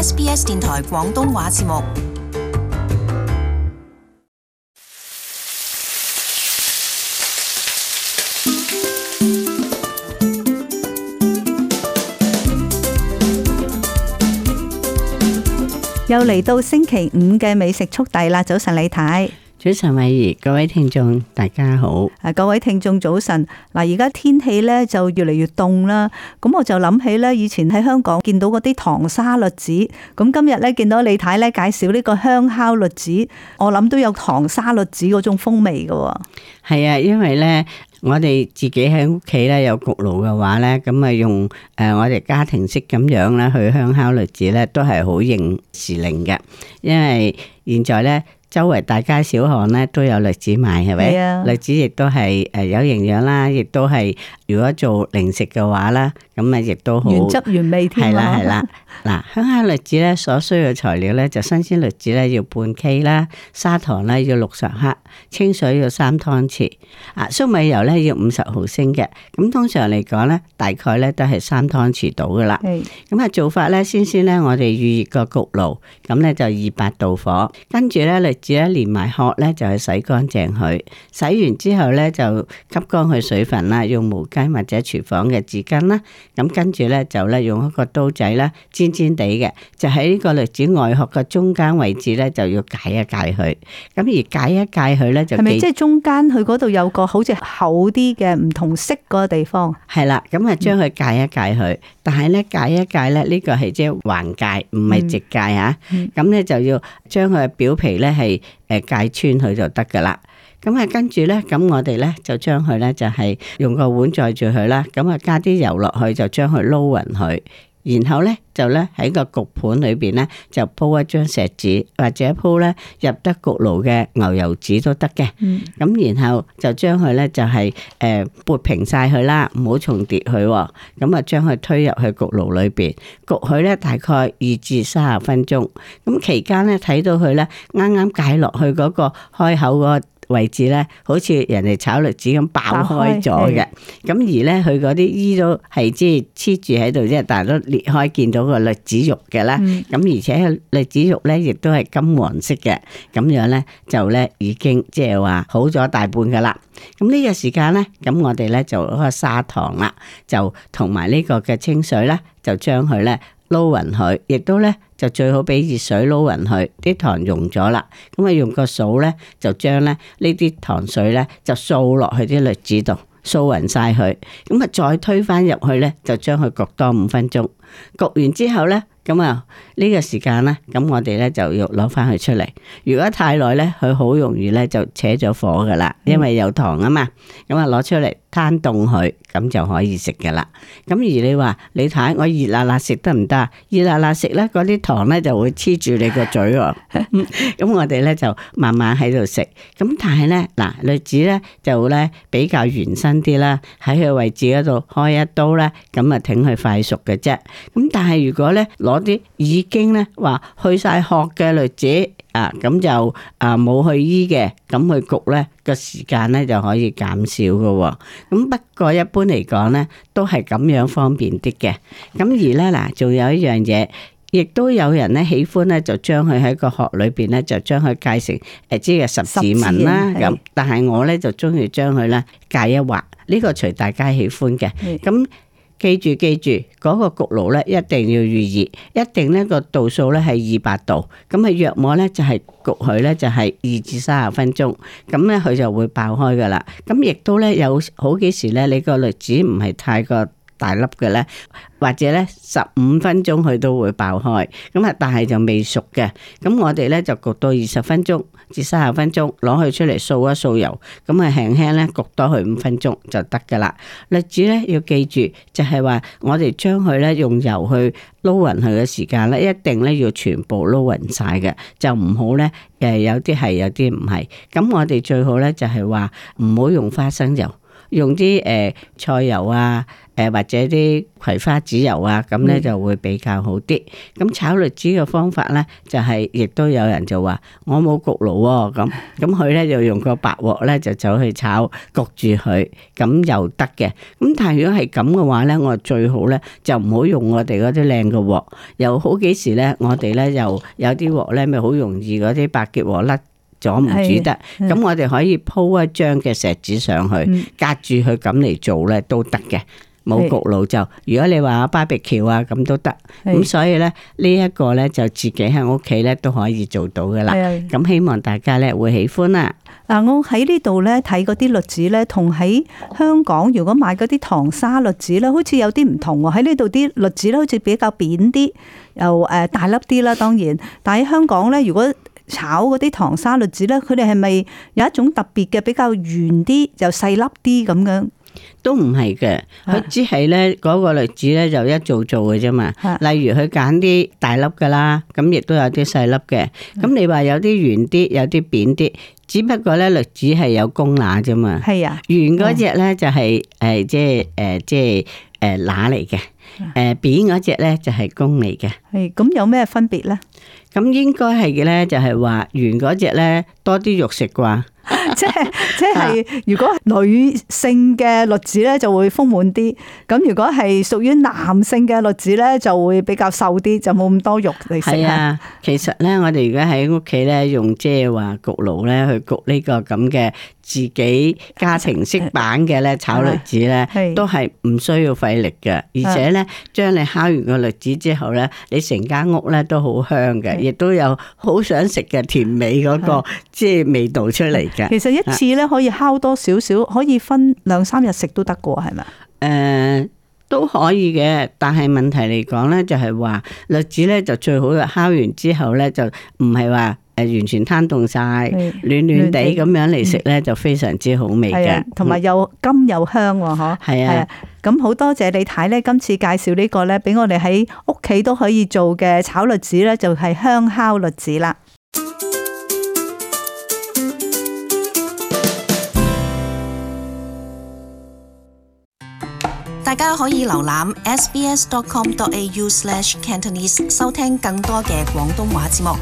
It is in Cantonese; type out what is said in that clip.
SBS 電台廣東話節目。又嚟到星期五嘅美食速遞啦！早晨李太，早晨慧怡，各位聽眾大家好。各位聽眾早晨。嗱，而家天氣咧就越嚟越凍啦，咁我就諗起咧，以前喺香港見到嗰啲糖沙律子，咁今日咧見到李太咧介紹呢個香烤律子，我諗都有糖沙律子嗰種風味噶。係啊，因為咧我哋自己喺屋企咧有焗爐嘅話咧，咁啊用我哋家庭式咁樣咧去香烤律子咧，都係好應時令嘅。因為現在咧周圍大街小巷咧都有律子賣，係咪？係啊。律子亦都係有營養啦，亦都係如果做零食嘅話啦，咁啊亦都好原汁原味添。係啦係啦。嗱，香烤律子咧所需要嘅材料咧就新鮮律子咧要半 K 啦，砂糖咧要60克，清水要3湯匙，粟米油咧要50毫升嘅。咁通常嚟講咧，大概咧都係3湯匙到噶啦。咁啊做法咧，先咧我哋預熱個焗爐，咁咧就200度火，跟住咧律子咧連埋殼咧就去洗乾淨佢，洗完之後咧就吸乾佢水分啦，用毛巾或者廚房嘅紙巾啦，咁跟住咧就咧用一個刀仔啦，尖尖地嘅，就喺呢個律子外殼嘅中間位置咧就要解一解佢，咁而解一解佢咧就係咪即係中間佢嗰度有個好似厚啲嘅唔同色嗰個地方？係啦，咁啊將佢解一解佢，但係咧解一解咧呢個係即係橫解，唔係直解吓，咁咧就要將佢嘅表皮咧係解穿佢就得噶啦。咁啊，跟住咧，咁我哋咧就將佢咧就係用個碗載住佢啦，咁啊加啲油落去，就將佢撈勻佢，然後咧就咧喺個焗盤裏邊咧就鋪一張錫紙，或者鋪咧入得焗爐嘅牛油紙都得嘅。咁然後就將佢咧就係撥平晒佢啦，唔好重疊佢。咁啊將佢推入去焗爐裏邊焗佢咧大概20至30分鐘。咁期間咧睇到佢咧啱啱解落去嗰個開口嗰個位置咧，好似人哋炒律子咁爆開咗嘅，咁而咧佢嗰啲衣都係即係黐住喺度啫，但係都裂開見到個律子肉嘅啦。咁而且律子肉咧亦都係金黃色嘅，咁樣咧就咧已經即係話好咗大半噶啦。咁呢個時間咧，咁我哋咧就嗰個砂糖啦，就同埋呢個嘅清水咧，就將佢咧撈勻佢，亦都咧就最好俾熱水撈勻佢，啲糖溶咗啦，咁啊用個掃咧就將咧呢啲糖水咧就掃落去啲律子度，掃勻晒佢，咁啊再推返入去咧，就將佢焗多5分鐘，焗完之後咧。咁啊，呢個時間咧，咁我哋咧就要攞翻佢出嚟。如果太耐咧，佢好容易咧就扯咗火噶啦，因為有糖啊嘛。咁啊，攞出嚟攤凍佢，咁就可以食噶啦。咁而你話你睇我熱辣辣食得唔得？熱辣辣食咧，嗰啲糖咧就會黐住你個嘴喎。咁我哋咧就慢慢喺度食。咁但係咧，嗱，律子咧就咧比較圓身啲啦，喺佢位置嗰度開一刀咧，咁啊挺佢快熟嘅啫。咁但係如果咧攞啲已經咧話去晒殼嘅律子啊，咁就冇去衣嘅，咁去焗咧個時間咧就可以減少嘅。咁不過一般嚟講咧，都係咁樣方便啲嘅。咁而咧嗱，仲有一樣嘢，亦都有人咧喜歡咧，就將佢喺個殼裏邊咧，就將佢界成即係十字紋啦。咁但係我咧就中意將佢咧界一劃，呢個隨大家喜歡嘅。咁記住嗰個焗爐咧一定要預熱，一定呢個度數咧係200度，咁啊約莫咧就係焗佢咧就係20至30分鐘，咁咧佢就會爆開噶啦。咁亦都咧有好幾時咧，你個律子唔係太過大粒嘅咧，或者咧15分鐘佢都會爆開，咁啊但係就未熟嘅，咁我哋咧就焗到20分鐘至30分鐘，攞佢出嚟掃一掃油，咁啊輕輕咧焗多佢5分鐘就得噶啦。律子咧要記住，就係話我哋將佢咧用油去撈勻佢嘅時間咧，一定咧要全部撈勻晒嘅，就唔好咧有啲係有啲唔係。咁我哋最好咧就係話唔好用花生油。用啲菜油啊，或者啲葵花籽油啊，咁咧就會比較好啲。咁炒栗子嘅方法咧，就係亦都有人就話我冇焗爐喎，咁佢咧就用個白鑊咧就走去炒焗住佢，咁又得嘅。咁但係如果係咁嘅話咧，我最好咧就唔好用我哋嗰啲靚嘅鑊，有好幾時咧我哋咧又有啲鑊咧咪好容易嗰啲白結鑊甩咗唔煮得，咁我哋可以鋪一張嘅錫紙上去，隔住佢咁嚟做咧都得嘅。冇焗爐就，如果你話BBQ啊咁都得，咁所以咧呢一個咧就自己喺屋企咧都可以做到噶啦。咁希望大家咧會喜歡啦。嗱，我喺呢度咧睇嗰啲栗子咧，同喺香港如果買嗰啲糖沙栗子咧，好似有啲唔同喎。喺呢度啲栗子咧好似比較扁啲，又大粒啲啦，當然。但喺香港咧，如果炒嗰啲糖沙栗子咧，佢哋係咪有一種特別嘅比較圓啲又細粒啲咁樣？都唔係嘅，佢只係咧嗰個栗子咧就一做嘅啫嘛。例如佢揀啲大粒噶啦，咁亦都有啲細粒嘅。咁你話有啲圓啲，有啲扁啲，只不過咧栗子係有公乸啫嘛。係啊，圓嗰隻咧就係即係乸嚟嘅，扁嗰隻咧就係公嚟嘅。係咁有咩分別咧？咁應該係嘅咧，就係話圓嗰隻咧多啲肉食啩。即係如果女性嘅栗子咧就會豐滿啲，咁如果係屬於男性嘅栗子咧就會比較瘦啲，就冇咁多肉嚟食。係啊，其實咧我哋而家喺屋企咧用即係話焗爐咧去焗呢個咁嘅自己家庭式版嘅咧炒栗子咧，都係唔需要費力嘅，而且咧將你烤完個栗子之後咧，你成間屋咧都好香嘅，亦都有好想食嘅甜美嗰個即係味道出嚟嘅。其實一次咧可以烤多少少，可以分2-3日食都得㗎，係咪？都可以嘅，但係問題嚟講咧，就係話栗子咧就最好烤完之後咧就唔係話完全攤凍晒，暖暖地咁樣嚟食咧就非常之好味嘅，同埋又甘又香喎，嗬。係啊，咁好多謝李太咧，今次介紹呢個咧，俾我哋喺屋企都可以做嘅炒栗子咧，就係香烤栗子啦。大家可以瀏覽 sbs.com.au/cantonese 收聽更多嘅廣東話節目。